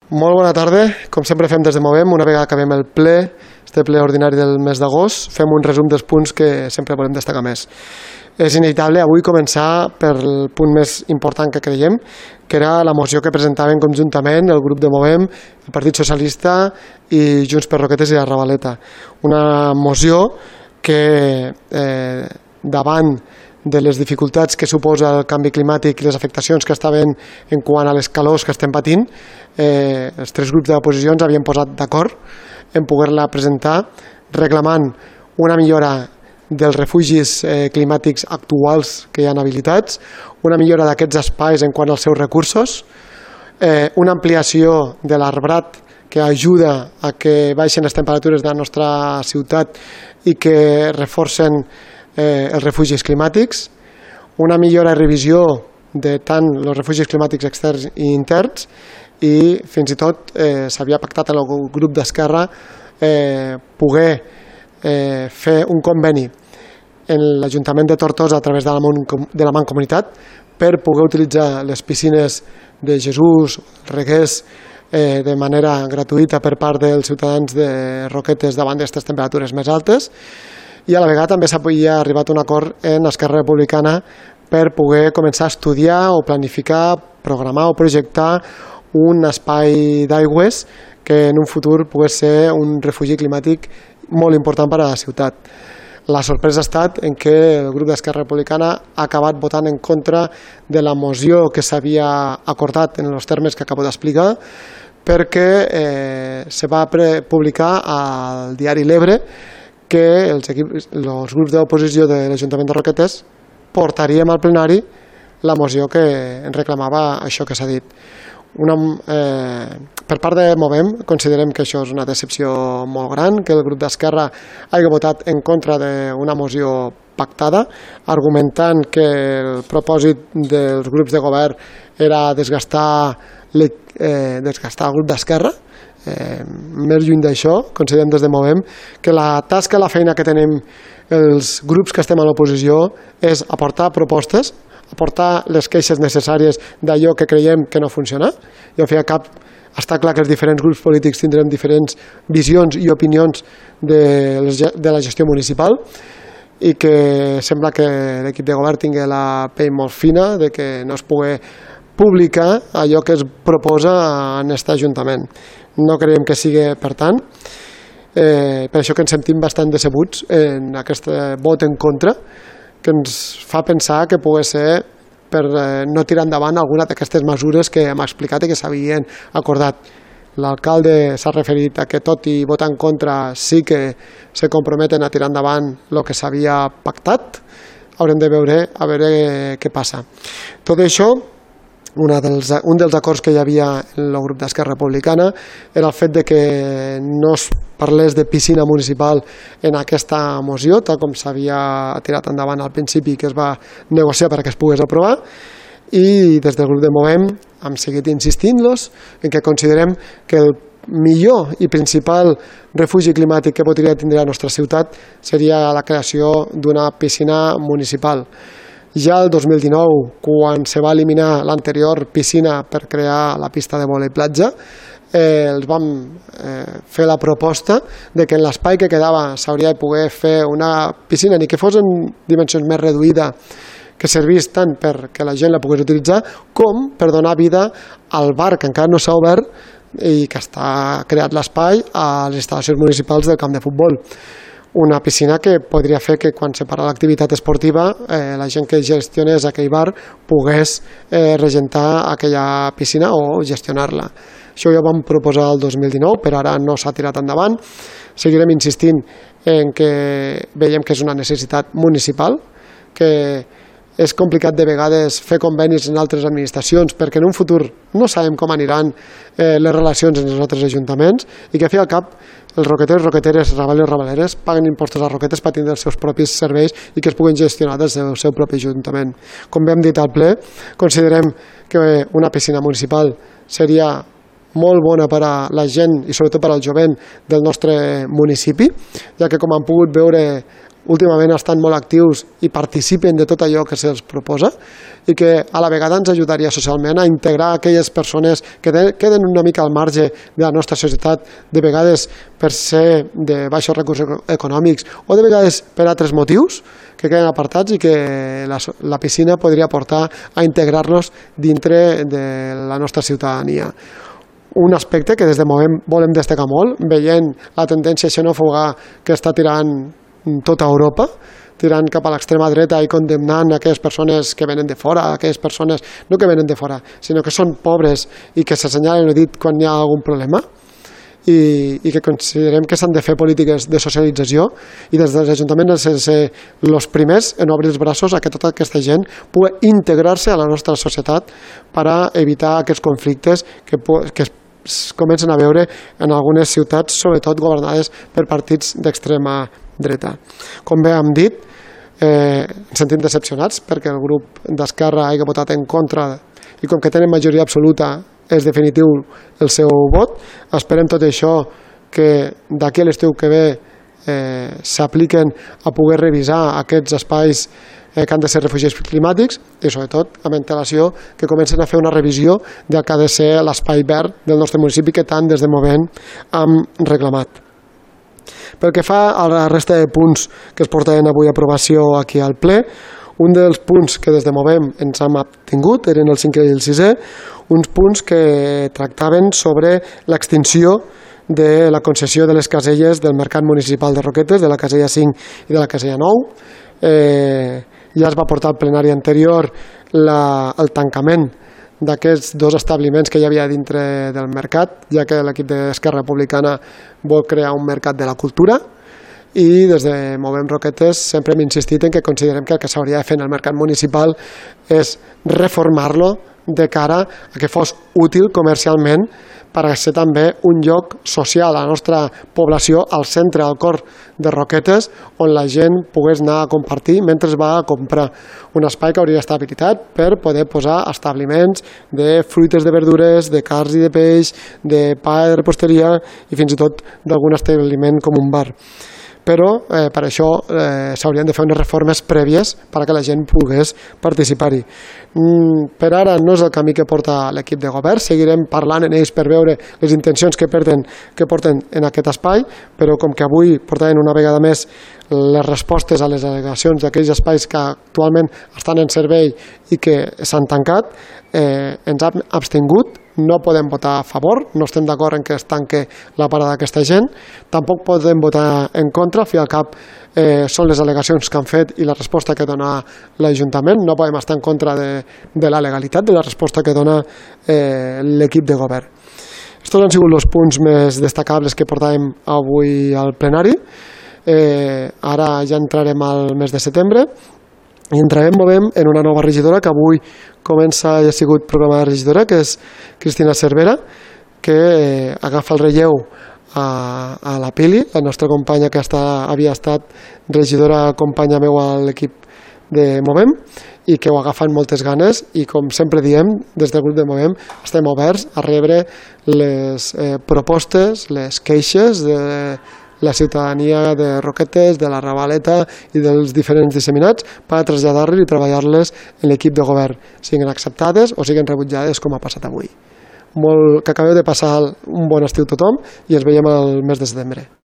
Molt bona tarda. Com sempre fem des de Movem, una vegada acabem el ple, este ple ordinari del mes d'agost, fem un resum dels punts que sempre volem destacar més. És inevitable avui començar pel punt més important que creiem, que era la moció que presentaven conjuntament el grup de Movem, el Partit Socialista i Junts per Roquetes i la Ravaleta. Una moció que davant de les dificultats que suposa el canvi climàtic i les afectacions que estaven en quant a les calors que estem patint, els tres grups de l'oposició ens havien posat d'acord en poder-la presentar reclamant una millora dels refugis climàtics actuals que hi ha habilitats, una millora d'aquests espais en quant als seus recursos, una ampliació de l'arbrat que ajuda a que baixen les temperatures de la nostra ciutat i que reforcen els refugis climàtics, una millora i revisió de tant els refugis climàtics externs i interns, i fins i tot s'havia pactat en el grup d'Esquerra poder fer un conveni en l'Ajuntament de Tortosa a través de la Mancomunitat per poder utilitzar les piscines de Jesús, Reguers, de manera gratuïta per part dels ciutadans de Roquetes davant d'aquestes temperatures més altes, i a la vegada també s'havia arribat a un acord en Esquerra Republicana per poder començar a estudiar o planificar, programar o projectar un espai d'aigües que en un futur pogués ser un refugi climàtic molt important per a la ciutat. La sorpresa ha estat en què el grup d'Esquerra Republicana ha acabat votant en contra de la moció que s'havia acordat en els termes que acabo d'explicar, perquè se va publicar al diari L'Ebre que els grups d'oposició de l'Ajuntament de Roquetes portaríem al plenari la moció que ens reclamava això que s'ha dit. Per part de Movem considerem que això és una decepció molt gran, que el grup d'Esquerra hagi votat en contra d'una moció pactada, argumentant que el propòsit dels grups de govern era desgastar el grup d'Esquerra. Més lluny d'això, considerem des de Movem que la tasca, la feina que tenim els grups que estem a l'oposició és aportar propostes, aportar les queixes necessàries d'allò que creiem que no funciona. I al fi i al cap està clar que els diferents grups polítics tindrem diferents visions i opinions de la gestió municipal i que sembla que l'equip de govern tingui la pell molt fina de que no es pugui publicar allò que es proposa en aquest Ajuntament. No creiem que sigui per tant. Per això que ens sentim bastant decebuts en aquest vot en contra, que ens fa pensar que pugui ser per no tirar endavant alguna d'aquestes mesures que hem explicat i que s'havien acordat. L'alcalde s'ha referit a que tot i votar en contra sí que se comprometen a tirar endavant el que s'havia pactat. Haurem de veure a veure què passa. Tot això, un dels acords que hi havia en el grup d'Esquerra Republicana era el fet de que no es parlés de piscina municipal en aquesta moció, tal com s'havia tirat endavant al principi que es va negociar perquè es pogués aprovar, i des del grup de Movem hem seguit insistint-los en que considerem que el millor i principal refugi climàtic que podria tindre la nostra ciutat seria la creació d'una piscina municipal. Ja el 2019, quan se va eliminar l'anterior piscina per crear la pista de vòlei platja, els vam fer la proposta de que en l'espai que quedava s'hauria de poder fer una piscina, ni que fos en dimensions més reduïda, que servís tant perquè la gent la pogués utilitzar com per donar vida al bar que encara no s'ha obert i que està creat l'espai a les instal·lacions municipals del camp de futbol. Una piscina que podria fer que quan se para l'activitat esportiva la gent que gestionés aquell bar pogués regentar aquella piscina o gestionar-la. Això ja ho vam proposar el 2019, però ara no s'ha tirat endavant. Seguirem insistint en que veiem que és una necessitat municipal, que és complicat de vegades fer convenis en altres administracions perquè en un futur no sabem com aniran les relacions en els altres ajuntaments i que a fi al cap els roqueters, roqueteres, ravalers, ravaleres paguen impostos a Roquetes per tindre els seus propis serveis i que es puguin gestionar des del seu propi ajuntament. Com hem dit al ple, considerem que una piscina municipal seria molt bona per a la gent i sobretot per al jovent del nostre municipi, ja que com han pogut veure últimament estan molt actius i participen de tot allò que se'ls proposa i que a la vegada ens ajudaria socialment a integrar aquelles persones que queden una mica al marge de la nostra societat, de vegades per ser de baixos recursos econòmics o de vegades per altres motius, que queden apartats i que la piscina podria portar a integrar-los dintre de la nostra ciutadania. Un aspecte que des de Movem volem destacar molt, veient la tendència xenòfoba que està tirant tota Europa, tirant cap a l'extrema dreta i condemnant aquelles persones que venen de fora, aquelles persones no que venen de fora, sinó que són pobres i que s'assenyalen el dit quan hi ha algun problema, i que considerem que s'han de fer polítiques de socialització i des dels ajuntaments han de ser els primers en obrir els braços a que tota aquesta gent pugui integrar-se a la nostra societat per a evitar aquests conflictes que es comencen a veure en algunes ciutats, sobretot governades per partits d'extrema dreta. Com bé hem dit, ens sentim decepcionats perquè el grup d'Esquerra hagi votat en contra i com que tenen majoria absoluta és definitiu el seu vot. Esperem tot això que d'aquí a l'estiu que ve s'apliquen a poder revisar aquests espais que han de ser refugis climàtics i sobretot amb antelació que comencen a fer una revisió del que ha de ser l'espai verd del nostre municipi que tant des de Movem hem reclamat. Pel que fa a la resta de punts que es portaven avui a aprovació aquí al ple, un dels punts que des de Movem ens hem obtingut eren el 5è i el 6è, uns punts que tractaven sobre l'extinció de la concessió de les caselles del Mercat Municipal de Roquetes, de la casella 5 i de la casella 9. Ja es va portar al plenari anterior el tancament d'aquests dos establiments que hi havia dintre del mercat, ja que l'equip d'Esquerra Republicana vol crear un mercat de la cultura. I des de Movem Roquetes sempre hem insistit en que considerem que el que s'hauria de fer en el mercat municipal és reformar-lo de cara a que fos útil comercialment per a ser també un lloc social a la nostra població, al centre, al cor de Roquetes, on la gent pogués anar a compartir mentre va a comprar. Un espai que hauria d'estar habilitat per poder posar establiments de fruites, de verdures, de carns i de peix, de pa de reposteria i fins i tot d'algun establiment com un bar. Però per això s'haurien de fer unes reformes prèvies perquè la gent pogués participar-hi. Per ara no és el camí que porta l'equip de govern, seguirem parlant en ells per veure les intencions que porten en aquest espai, però com que avui portaven una vegada més les respostes a les al·legacions d'aquells espais que actualment estan en servei i que s'han tancat, ens hem abstingut. No podem votar a favor, no estem d'acord en que es tanque la parada d'aquesta gent, tampoc podem votar en contra, al fi i al cap són les al·legacions que han fet i la resposta que dona l'Ajuntament, no podem estar en contra de la legalitat de la resposta que dona l'equip de govern. Estos han sigut els punts més destacables que portàvem avui al plenari. Ara ja entrarem al mes de setembre i entrarem, Movem, en una nova regidora que avui comença i ha sigut programada regidora, que és Cristina Cervera, que agafa el relleu a la Pili, la nostra companya que havia estat regidora, companya meu a l'equip de Movem, i que ho agafa amb moltes ganes i, com sempre diem, des del grup de Movem estem oberts a rebre les propostes, les queixes de la ciutadania de Roquetes, de la Ravaleta i dels diferents disseminats per a traslladar-les i treballar-les en l'equip de govern, siguin acceptades o siguin rebutjades com ha passat avui. Que acabeu de passar un bon estiu tothom i ens veiem el mes de setembre.